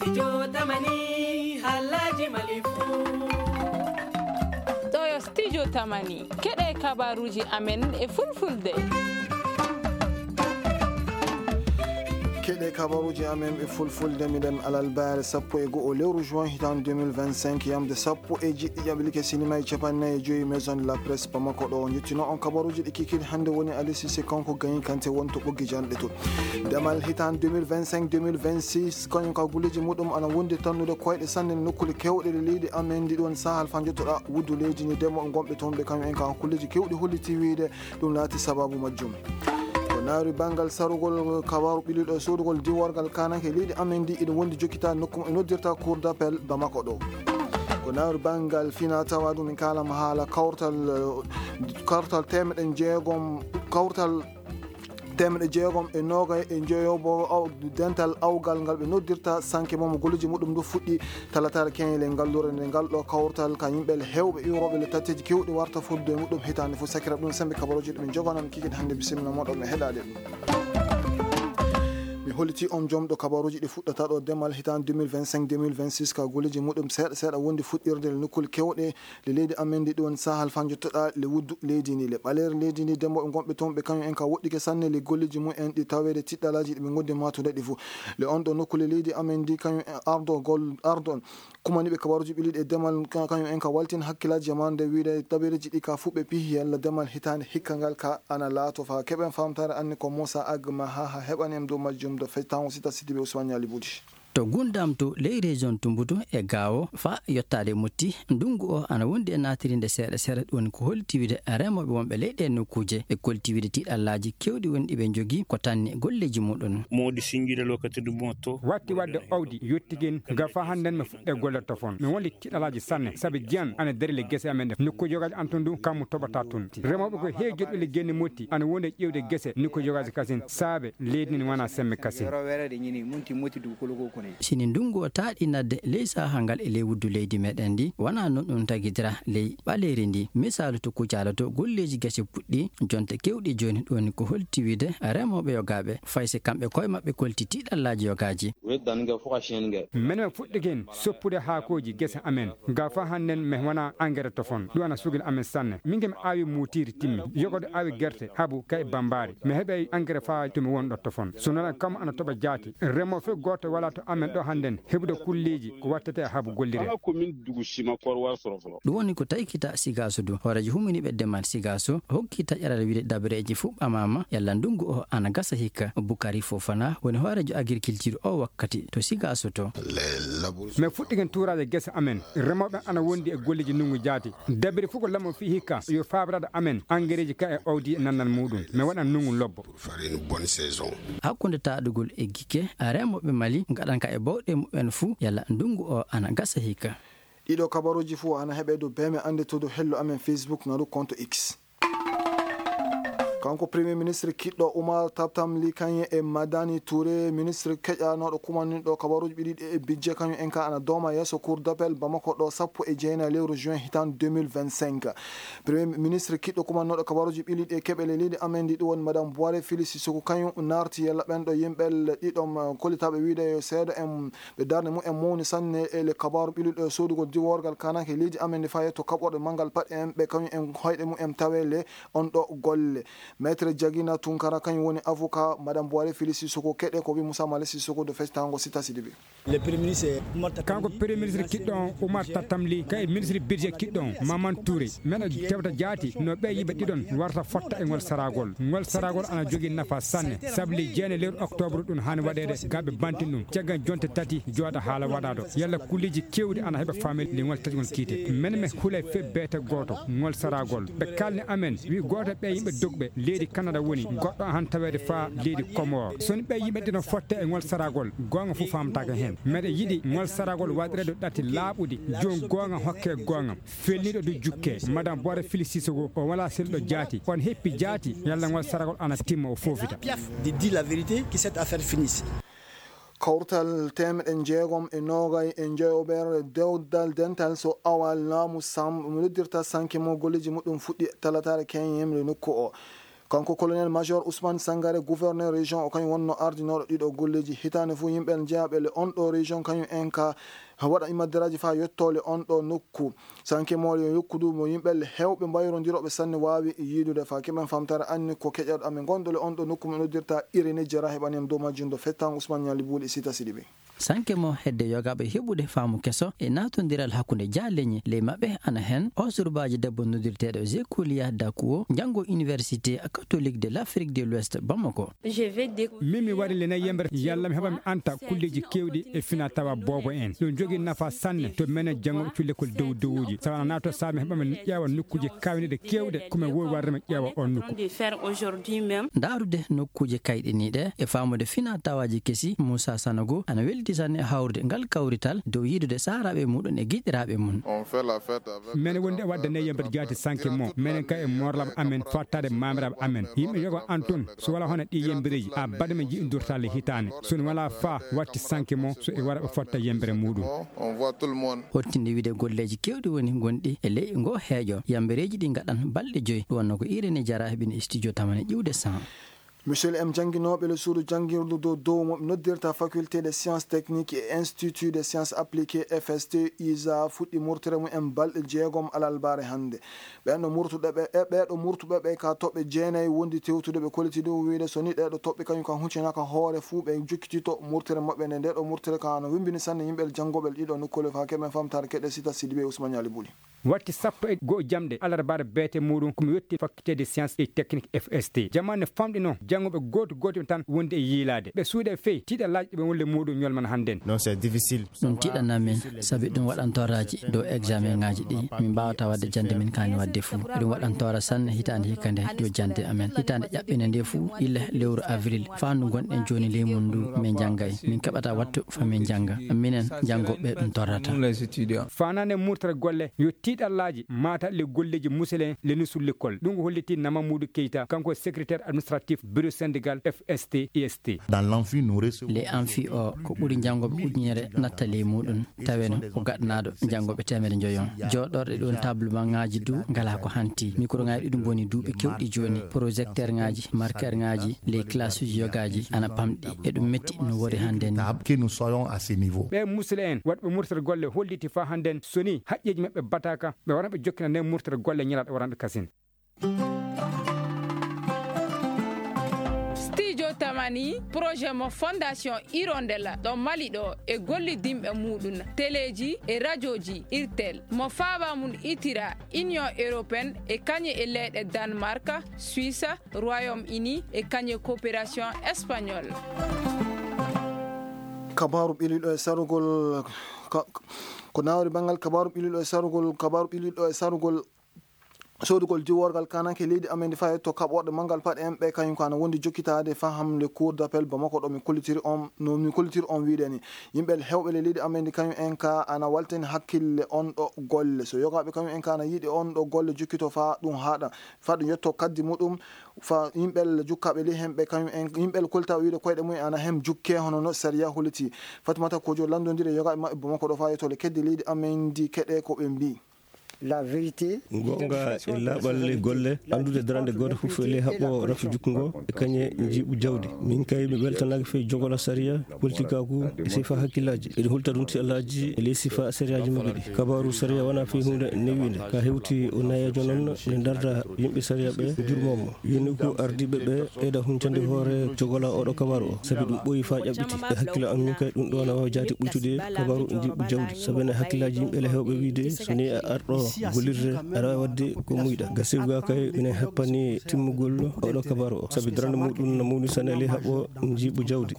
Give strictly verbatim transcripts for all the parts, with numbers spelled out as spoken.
Studio Tamani, halaji malifu. Ɗo yo Studio Tamani. Keɗe kabaruji amen e fulfulde. Keɗe kabaruji amen e fulfulde, miɗen alalbaare sappo e go'o lewru juin hitan deux mille vingt-cinq, yamde sappo e jeɗɗi ƴaɓlike sinima e capannayi e joyi Maison de la Presse Bamako ɗo. Njettino on kabaruji ɗi kikiɗe hannde woni Ali Cissé kanko gañi kante won to ɓoggi janɗe to. Demal hitan deux mille vingt-cinq deux mille vingt-six, kañum ka gulleji muɗum ana wondi tannude koyɗe sanne e nokkuule kewɗe ɗe leydi amen ndi ɗon sahal fa jottoɗa wuddu leydi ni demo gonɓe toon ɓe kañum en ka kulleji kewɗi holliti wiide ɗum laati sababu majjum. Ko naari banngal sarugol kabaru ɓiliɗo e sodugol diworgal kananke leydi amen ndi ina wondi jokkita nokku mo e noddirta cour d'appel Bamako ɗo. Ko naari banngal fina tawa ɗum en kalama haala kawtal, kawtal temeɗe jeegom, kawtal temeɗe jeegom e noogay e njoyobo aw-, dental awgal ngal ɓe noddirta sanke momo golleji muɗum ndu fuɗɗi talataare keñel e ngallure nde ngal ɗo kawtal ka yimɓe hewɓe iwroɓe le tatteji kewɗi warta fodde e muɗum hitaande fof sakira ɗum sembe kabaruji ɗum jogonon kikit hannde bisimilla moɗon mi heɗade ɗum. Mi holliti on jomɗo kabaruji ɗi fuɗɗata ɗo demal hitaande deux mille vingt-cinq deux mille vingt-six ka golleji muɗum seeɗa seeɗa wondi fuɗɗirde le nokkule kewɗe le leydi amen ndi ɗon sahal fa jottoɗa le wuddu leydi ndi le ɓaleere leydi ndi demboɓe gonɓe toon ɓe kañum en ka woɗɗike sanne le golleji mum en ɗi taweede tiɗɗalaji ɗi ɓe gondi matude ɗi fof le on ɗo nokkule leydi amen ndi kañum en ardo gol ardo kumaniɓe kabaruji ɓiliɗi e demal ka- kañum en ka waltin hakkillaji e mande wiide tabereji ɗi ka fuɓe pihi yalla demal hitande hikka ngal ka ana laato fa keɓen famtare anni ko Moussa Agma ha ha heɓani em dow majjum do fectango sita sidiɓe Ousmane Ñali Bouti. To Gundam to ley région Tumbutu e Gaawo fa yottaade Motti, ndungu o ana wondi e naatirinde seeɗa seeɗa, ɗum woni ko holti wiide remooɓe wonɓe ley ɗee nokkuuje e kolti wiide tiiɗallaaji keewɗi woni ɗi ɓe njogii ko tanni golleeji muɗum. Moodi sinjude lokati ɗum moto. Watti wadde owdi yottigen ga fa hannden mi fuɗɗe golle tofon. Mi woni tiiɗallaaji sanne sabi jiyan ana dari le gese amen ɗe nokkuuje yogaaji an tun ɗum kammu toɓata tun. Remooɓe ko heewi joɗɗo le genne Motti ana woni e ƴeewde gese nokkuuje yogaaji kasin saabe leydi ndi wona semme kasin. Sini ndungu o taaɗi nadde ley saha ngal e ley wuddu leydi meɗen ndi, wona non ɗum tagidira ley ɓaleeri ndi. Misaalu to Kucala to golleeji gese puɗɗi, jonte kewɗi jooni ɗum woni ko holti wiide remooɓe yogaaɓe, fay si kamɓe koye maɓɓe kolti tiiɗallaaji yogaaji. Menen fuɗɗigen soppude haakooji gese amen, ga fa hannden mi wona engrais tofon, ɗum ana sugina amen sanne. Min ke mi aawi muutiiri timmi, yogodo aawi gerte, habu kay bambaari. Mi heɓay engrais fa to mi wonɗo tofon. So non kam ana toɓa jaati. Remo fe gooto wala to amen ɗo hannden heɓude kulleeji ko wattete e habu gollire. Kala ko min dugu sima kor war soroforo. Ɗum woni ko taykita Sigaaso du. Hooreejo huminiiɓe demal Sigaaso hokki taƴaral wiide dabareeji fuu ɓamaama yalla ndungu o ana gasa hikka. Bukari Fofana woni hooreejo agriculture o wakkati to Sigaaso to. Mi fuɗɗigen tuuraaje gese amen. Remooɓe ana wondi e golleeji ndungu jaati. Dabere fuu ko lamo fii hikka yo faabiraade amen engrais ji ka e owdi e nannal muɗum. Mi waɗan ndungu lobbo. Pour faire une bonne saison. Hakkunde taaɗugol e gike, remooɓe Mali ngaɗan ka e bawɗe muɓɓen fuu yalla ndungu o ana gasa hikka. Ɗiɗo kabaruji fuu ana heɓe dow beme annde to dow hello amen Facebook ngaɗu compte X. Kanko Premier Ministre kiɗɗo Oumar Tamtam Ly Kane e Madani Touré, ministre keƴanooɗo kumanninɗo kabaruji ɓe ɗiɗi e budget kañum en ka ana dooma yeeso Cour d'appel Bamako ɗo sappo e jeenayi lewru juin hitan deux mille vingt-cinq. Premier ministre kiɗɗo kumannooɗo kabaruji ɓe ɗiɗi e keɓe le leydi amen ndi ɗum woni Madame Boire Fili Sissoko kañum naarti yalla ɓen ɗo yimɓe le ɗiɗon, eh, kollitaaɓe wiide yo seedo en ɓe darnde mum en mawni sanne e le kabaru ɓiluɗo e soodugol diworgal kananke leydi amen ndi faa yetto kaɓorɗe manngal paɗe en ɓe kañum en hoyɗe mum en tawe le on ɗo golle. Maître Jagina Tunkara kañum woni avocat Madame Boire Fili Sissoko keɗe ko wi Moussa Male Sissoko do fectango Sita Sidibe. Kanko Premier Ministre kiɗɗo on Oumar Tatamli, kay ministre budget kiɗɗo on Maman Touré. Men tewta jaati no ɓe yimɓe ɗiɗon warta fotta e ngol saragol. Ngol saragol ana jogii nafa sanne. Sabu le jeene lewru octobre ɗum haani waɗeede gaɓe bantin ɗum. Caggal jonte tati jooɗa haala waɗaado. Yalla kulleeji kewɗi ana heɓa faamel le ngol tati ngol kiite. Men me hulay fe beete gooto ngol saragol. Ɓe kalni amen wi gooto ɓe yimɓe dogɓe leydi Canada woni goɗɗo han taweede faa leydi Comore. So ni ɓe yimɓe ɗiɗon fotte e ngol saragol, goonga fof faamtaaka heen. Meɗen yiɗi ngol saragol waɗireede ɗati laaɓuɗi, joom goonga hokke goonga, felniiɗo du jukke. Madame Boire Fili Sissoko, o wala selluɗo jaati, on heppi jaati, yalla ngol saragol ana timma o foofita. Piaf de dire la vérité, que cette affaire finisse. Kawtal temeɗe jeegom e noogay e njoyoɓere dewdal dental so awal laamu sam mo noddirta sanke mo golleeji muɗum fuɗɗi talataare keñemre nokku o. Kanko colonel major Ousmane Sangare, gouverneur région o, kañum wonno ardinooɗo ɗiɗo golleeji. Hitaande fof yimɓe jeyaɓe le on ɗo région kañum en ka waɗa imadderaaji faa yettoole on ɗo nokku. Sanke moole yo yokku du mo yimɓe le heewɓe mbayrondirooɓe sanne waawi yiidude. Faa keɓen famtare anni ko keƴaɗo amen gonɗo le on ɗo nokku mo noddirta Irini Jara, heɓani en dow majjum do fettan Ousmane Ñali Buuli Sita Sidibe. Sanke mo hedde yogaaɓe heɓude faamu keso e naatondiral hakkunde jaaleñi ley maɓɓe ana heen o surbaajo debbo noddirteeɗo Zekuliya Dakuwo, janngo Université Catholique de l'Afrique de l'Ouest Bamako. Min mi wari le nayi yembre yalla mi heɓa mi anta kulleeji keewɗi e fina tawa boobo en. Ɗum jogii nafa sanne to menen janngo culle kol dow dowuji. Sawa na naato sa mi heɓa mi ƴeewa nokkuuje kawniɗe keewɗe ko mi wowi warde mi ƴeewa on nokku. Ndaarude nokkuuje kayɗiniiɗe e faamude fina tawaaji kesi, Muusa Sanogo ana welti sanne e hawrude ngal kawrital dow yiidude saaraaɓe muɗum e giɗiraaɓe mum. Menen wondi e wadde nayi yembre jaati sanke mo. Menen kay e morlaɓe amen, fottade maamiraaɓe amen. Yimɓe yogo an tun, so wala hono ɗi yembereeji, a bada men jiɗi durtale hitaande. So ne wala fa watti sanke mo, so e wara ɓe fotta yembere muɗum. Hottinde wiide golleeji keewɗi woni gonɗi e ley ngo heeƴo. Yambereeji ɗi ngaɗan balɗe joyi. Ɗum wonno ko Irini Jara heɓini studio tamane ƴiwde san. Michel M jannginooɓe le suudu janngirdu dow dow mo ɓe noddirta Faculté des Sciences Techniques et Institut des Sciences Appliquées, F S T, isa, fuɗɗi murtere mum en balɗe jeegom alalbaare hannde. Ɓen ɗo murtuɓe ɓe, e ɓee ɗo murtuɓe ɓe ka toɓɓe jeenayi wondi tewtude, ɓe kolliti ɗum wiyde so ni ɗee ɗo toɓɓe kañum kan huccinaaka hoore fuu, ɓe jokkitito murtere maɓɓe nde. Nde ɗo murtere ka no wembini sanne yimɓe janngooɓe ɗiɗo nokkuule. Faa keɓen famtaare keɗe Sita Sidibe e Ousmane Ñali Buuli. Watti sappo e go'o jamɗe alarbaare beete muɗum ko mi yotti faculté de sciences et techniques F S T. Jamaanu ne famɗino janngooɓe gooto gooto tan wondi e yiilaade. Ɓe suuɗe fey tiiɗallaaji ɗi ɓe wonle muɗum ñolman hannden. Non, c'est difficile. Ɗum tiiɗanaa min, sabi ɗum waɗan tooraaji dow examen ŋaaji ɗi min mbaawata waɗde jannde min kaani waɗde fuu. Ɗum waɗan toora sanne hitaande hikka nde dow jannde amen. Hitaande ƴaɓɓinde nde fuu, illa lewru avril, faa ndu ngonɗen jooni ley mum ndu, min njanngay. Min keɓataa wattu fa min njannga. Minen, janngooɓe ɓe ɗum torrata. Faanaande murtere golle, yo tiiɗallaaji maata le golleeji muselen le nusul l'école. Ɗum ko hollitii Nama Mudu Keita, kanko secrétaire administratif bureau syndical F S T I S T. Dans l'amphi, nous recevons le amphi o, ko ɓuri janngooɓe ujunere natta ley muɗum, taweno ko gaɗanaaɗo janngooɓe teemedde njoyon. Jooɗorɗe ɗon, tablementŋaaji du ngalaa ko hanti. Microŋaaji ɗiɗi mboni duuɓi keewɗi jooni. Projecteurŋaaji, marqueurŋaaji, les classes yogaaji ana pamɗi. Eɗum metti no wori hannden. Que nous soyons à ce niveau. Ɓe musule en waɗɓe murtere golle holliti faa hannden so ni haqqeeji maɓɓe bataaka, ɓe waran ɓe jokkina nden murtere golle ñalaaɗo waranɗo kasin. Studio Tamani, projet mo Fondation Hirondella ɗo Mali ɗo e gollidinɓe muɗum, teleeji e rajooji Irtel, mo faaba mum itira Union Européenne e kañe e leyɗe Danemark, Suisse, Royaume-Uni e kañe coopération espagnol. Kabaaru ɓiliiɗo e sarugol, ka-, ko nawri banngal kabaaru ɓiliiɗo e sarugol, kabaaru ɓiliiɗo e sarugol soodugol diworgal kananke leydi amen ndi faa yetto kaɓorɗe manngal paɗe en ɓe kañum ko ana wondi jokkitaade faham le cour d'appel Bamako ɗo mi kollitiri on, no mi kollitiri on wiide ni. Yimɓe heewɓe le leydi amen ndi kañum en ka ana waltani hakkille on ɗo golle. So yogaaɓe kañum en ka ana yiɗi on ɗo golle jokkito faa ɗum haaɗa, faa ɗum yetto kaddi muɗum, faa yimɓe jukkaaɓe ley hemɓe kañum en, yimɓe koltaaɓe wiide koyɗe mum en ana hem jukkee hono no sariya holliti. Fatimata Kojo lanndondiri e yogaaɓe maɓɓe Bamako ɗo faa yetto le keddi leydi amen ndi keɗe ko ɓe mbii. La vérité. Goonga e laaɓal ley golle, anndude darannde gooto fof e ley haɓɓo rafi jukku ngo e kañe njiiɓu jawdi. Min kay mi weltanaaki fey jogola sariya, politikaaku e sifa hakkillaaji. Eɗi hulta ɗum ti Allaaji e ley sifa sariyaaji maɓɓe ɗi. Kabaaru sariya wonaa fey huunde newiinde. Ka hewti o nayeejo noon ne darda yimɓe sariya ɓe jurmoo mo. Yoni ko ardiiɓe ɓe ɓeyda huncande hoore jogola oɗo kabaaru o. Sabi ɗum ɓooyi faa ƴaɓɓiti. E hakkille am min kay ɗum ɗo na waawi jaati ɓuytude kabaaru njiiɓu jawdi. Sabi ne hakkillaaji yimɓe le heewɓe wiide so ni a arɗo gollirde aɗa waawi waɗde ko muyɗa. Gasi gaa kay minen heppani timmugol oɗo kabaaru o. Sabi darande muɗum na mawni sanne e ley haɓɓo njiiɓu jawdi.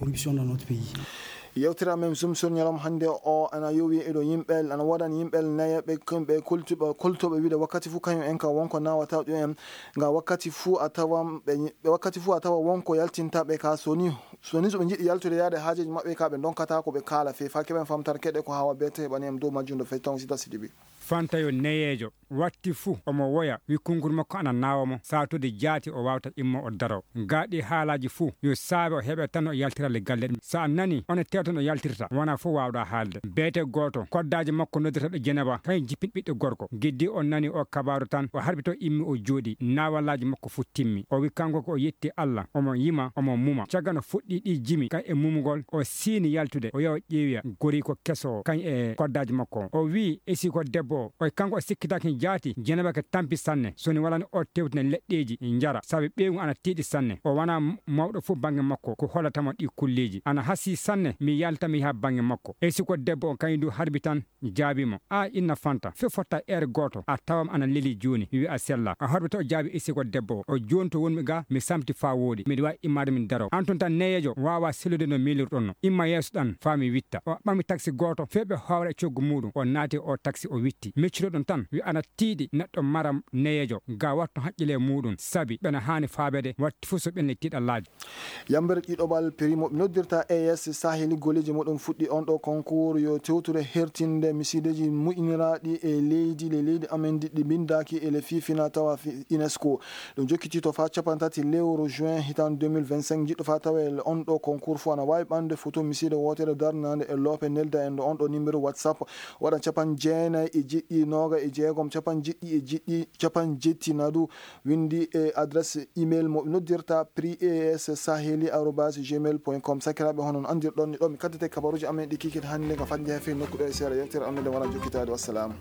Yewtere amen Zoom sur ñalawma hannde o ana yowi eɗo yimɓe, ana woodani yimɓe nayeeɓe, kamɓe koltuɓe, koltuɓe wiide wakkati fof kañum en ka wonko nawata ɗum en. Nga wakkati fof a tawan ɓe, ɓe wakkati fof a tawa wonko yaltinta ɓe ka so ni, so ni so ɓe njiɗi yaltude yaade haajeeji maɓɓe ka ɓe ndonkata ko ɓe kaala fee. Faa keɓen famtare keɗe ko hawa bete heɓani en dow majjum ɗo fecci tan o Sita Sidibi. Fanta yo neyeejo watti fuu omo woya, wi kunkuru makko ana naawa mo, saatuuji jaati o waawata immo o daro. Gaa ɗii haalaaji fuu yo saabe o heɓe tan o yaltira le galle ɗum. So a nani, on e tewton o yaltirta, wona fof waawɗa haalde. Beete gooto, koddaaji makko noddirteeɗo Jenaba, kañum jippin ɓiɗɗo gorko. Giddi o nani o kabaaru tan, o harɓito immi o jooɗi, naawalaaji makko fuu timmi. O wi kanko ko o yetti Allah, omo yima, omo muma. Caggal no fuɗɗi ɗi jimi, kañ e mumugol, o siini yaltude, o yaha o ƴeewiya goriiko keso o, kañ e koddaaji makko o. O wi esiko debbo o, o kanko o sikkitaaki jaati, Jenaba ke tampi sanne, so ni walani o tewtina leɗɗeeji njara, sabi ɓeyngu ana tiiɗi sanne. O wona m-, mawɗo fof bannge makko, ko hollata mo ɗi kulleeji. Ana hasii sanne, mi yalta mi yaha bannge makko. Esiko debbo o kañum du harbi tan, jaabii mo, "A inna Fanta, fii fotta heure gooto, a tawam ana leli jooni, mi wi'a sella." A horɓe to o jaabii esiko debbo o, o jooni to wonmi ga, mi samti faa wooɗi, miɗo waawi immaade min daro. An tun tan neyeejo waawa sellude no miilirɗon no. Imma yeeso ɗan faa mi witta. O ɓami taksi gooto, fii ɓe hoowra e coggu muuɗum, o naati o taksi o witti. Miccuɗo ɗum tan, wi ana tiiɗi neɗɗo mara neyeejo, ga wattu haqqile muuɗum, sabi ɓena haani faabeede, watti fof so ɓenni tiiɗallaaji. Yammbere ɗiɗaɓal prix mo ɓe noddirta A S Saheli golleeji muɗum fuɗɗi on ɗo concours yo tewtude hertinde misiideeji muƴƴiniraaɗi e leydi, le leydi amen ɗi, ɗi mbindaaki e le fifina tawa fi-, UNESCO. Ɗum jokkiti to faa cappanɗe tati lewru juin hitaande deux mille vingt-cinq. Jiɗɗo faa tawa e on ɗo concours fof ana waawi ɓamde photo misiide wootere darnaande e loope, nelda en ɗo on ɗo numéro WhatsApp, waɗa capanɗe jeenayi e jeɗɗi, nooga e jeegom, capanɗe jeɗɗi e jeɗɗi, capanɗe jetti nadu, winndi e adresse email mo noddirta prix A S Saheli arobase gmail point com. Sakiraaɓe, hono no anndirɗon ni, ɗo mi kaddete kabaruuji amen ɗi kikiiɗe hannde, ngam fadde he fii nokku ɗo e seeɗa yewtere amen nde wara jokkitaade. Wassalaamu.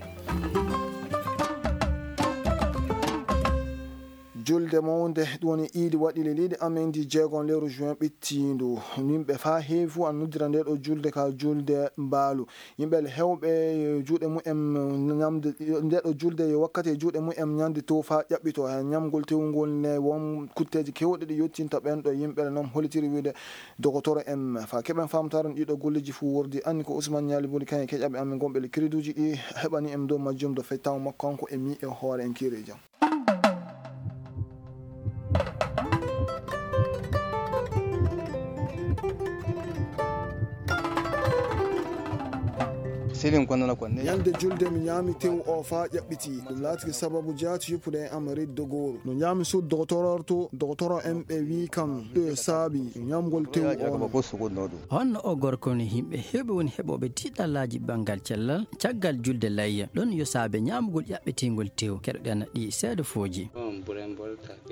Julde mawnde, ɗum woni iidi, waɗi le leydi amen ndi jeegom lewru juin ɓittiindu. Yimɓe faa heewi fof ana noddira nde ɗo julde ka julde mbaalu. Yimɓe heewɓe yo juuɗe mumen ñamde, nde ɗo julde yo wakkati e juuɗe mumen ñande tew faa ƴaɓɓitoo. He ñamgol tewngol ne won kutteeji keewɗi ɗi yottinta ɓen ɗo yimɓe noon hollitiri wiide dogotoro en. Faa keɓen faamtaare ɗiɗo golleeji fof wordi, anni ko Ousmane Ñaali Boli kañum e keƴaɓe amen gonɓe le crédit uji ɗi heɓani en dow majjum do fettaw makko kanko e mi e hoore en kiire jam. Selin ko nana ko ne. Ñande julde mi ñaami tew o faa ƴaɓɓiti. Ɗum laatiki sababu jaati yoppude e am riddo gooru. No ñaami suud dogotoro to, dogotoro en ɓe wii kam ɗo saabi ñamgol tew o. Honno o gorko no yimɓe heewɓe woni heɓooɓe tiiɗallaaji banngal cellal caggal julde layya? Ɗon yo saabe ñaamugol ƴaɓɓetingol tew. Keɗoɗen ɗi seeɗa fooji.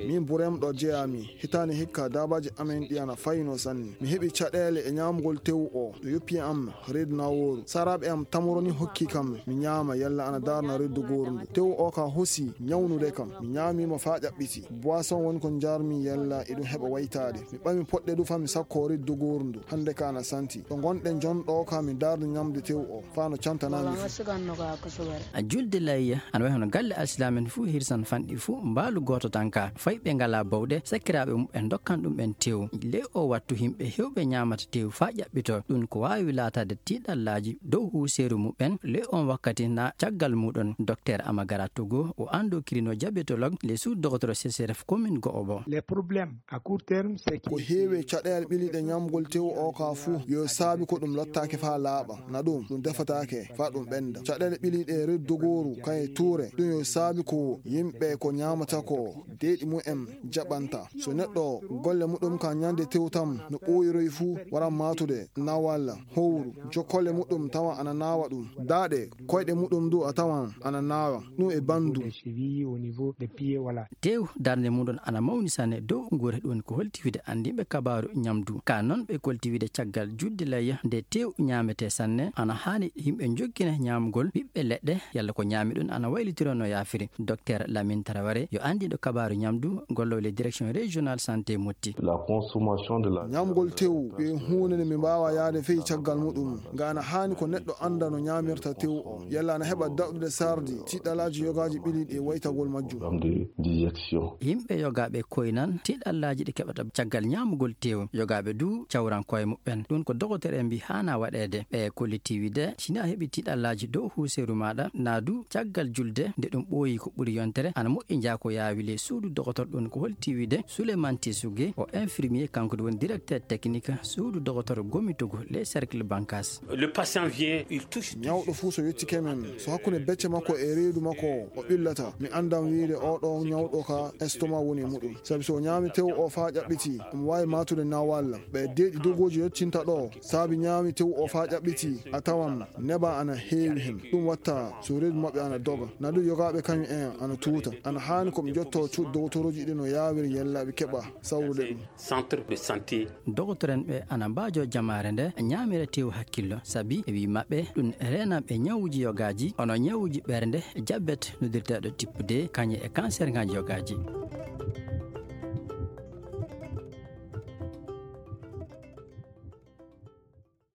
Min Burem ɗo jeyaami. Hitaande hikka daabaaji amen ɗi ana fayno sanne. Mi heɓi caɗeele e ñaamugol tew o. No yoppi am reedu nawooru. Saraaɓe am tamoroni hokki kam mi ñaama yalla ana daarna reedu gooru ndu. Tew o ka hosi ñawnude kam. Mi ñaami mo faa ƴaɓɓiti. Boisson woni ko njaarmi yalla e ɗum heɓa waytaade. Mi ɓami poɗɗe du faa mi sakko riddo gooru ndu. Hannde ka ana santi. Ɗo ngonɗen jon ɗo ka mi daarda ñamde tew o. Faa no cantanaa mi fuu. A julde layya, ana wayi hono galle alsilaamen fuu hirsan fanɗi fuu mbaalu gooto tan ka. Fay ɓe ngalaa bawɗe, sakiraaɓe muɓɓen ndokkan ɗum ɓen tew. Le o wattu yimɓe heewɓe ñaamata tew faa ƴaɓɓitoo. Ɗum ko waawi laataade tiiɗallaaji dow huuseeru muɓɓen. Le on wakkati na caggal muɗon, Docteur Amagara Togo, o anndo kirino diabétologue, le sous-docteur C C R F commune Go'obo. Les problèmes à court terme, c'est que ko heewi caɗeele ɓiliiɗe ñaamgol tew o ka fuu, yo saabi ko ɗum lottaake faa laaɓa. Na ɗum, ɗum defataake faa ɗum ɓennda. Caɗeele ɓiliiɗe reedu dogooru, kaye tuure, ɗum yo saabi ko yimɓe ko ñaamata ko, deeɗi mumen jaɓanta. So neɗɗo golle muɗum ka ñande tew tan no ɓooyiroy fuu, wara maatude nawal, howru, jokkolle muɗum tawa ana naawa ɗum. Daaɗe, koyɗe muɗum du a tawan ana naawa, ɗum e bandu. Des chevilles, au niveau des pieds, voilà. Tew darnde muɗum ana mawni sanne dow nguure, ɗum ko holti wiide anndinɓe kabaaru ñamdu. Ka noon ɓe kolti wiide caggal julde layya nde tew ñaametee sanne, ana haani yimɓe njokkina ñaamgol ɓiɓɓe leɗɗe, yalla ko ñaami ɗum ana waylitiro no yaafiri. Docteur Lamine Traoré, yo anndiiɗo kabaaru ñamdu, gollowo le direction régionale santé Motti. La consommation de la ñaamgol tew ko huunde nde mi mbaawa yaade fey caggal muɗum. Nga ana haani ko neɗɗo annda no ñaamirta tew o. Yalla ana heɓa daɗɗude sardi, tiiɗalaaji yogaaji ɓiliiɗi e waytagol majjum. Programme de digestion. Yimɓe yogaaɓe koynan tiiɗallaaji ɗi keɓata caggal ñaamugol tew. Yogaaɓe du cawran koye muɓɓen. Ɗum ko dogotere en mbi haana waɗeede. Ɓe kollitii wiide, si ni a heɓi tiiɗallaaji dow huuseeru maaɗa, naa du caggal julde, nde ɗum ɓooyi ko ɓuri yontere, ana moƴƴi njaa ko yaawi le suudu dogotor. Ɗum ko holti wiide Souleymane Tissougué, o infirmier, kanko du woni directeur technique suudu dogotor Gomitogo, le cercle Bankas. Le patient vient, il Ñawɗo fuu so yettike men, so hakkunde becce makko e reedu makko o ɓillata, mi anndan wiide oo ɗoo ñawɗo ka estomac woni e muɗum. Sabi so o ñaami tew o faa ƴaɓɓitii, omo waawi maatude nawalla. Ɓe deeƴi dogooji yettinta ɗoo, saabi ñaami tew o faa ƴaɓɓitii, a tawan neba ana heewi hen. Ɗum watta so reedu maɓɓe ana doga. Na ɗum yogaaɓe kañum en ana tuuta. Ana haani ko ɓe njottoo cuuɗi dogotooruuji ɗi no yaawiri yella ɓe keɓa sawrude ɗum. Centre de santé. Dogotoren ɓe ana mbaajoo jamaare nde ñaamira tew hakkillo, sabi e wii maɓɓe ɗum reenaɓe ñawuuji yogaaji, ono ñawuuji ɓernde, jabet noddirteeɗo type deux, kañe e cancer ŋaaji yogaaji.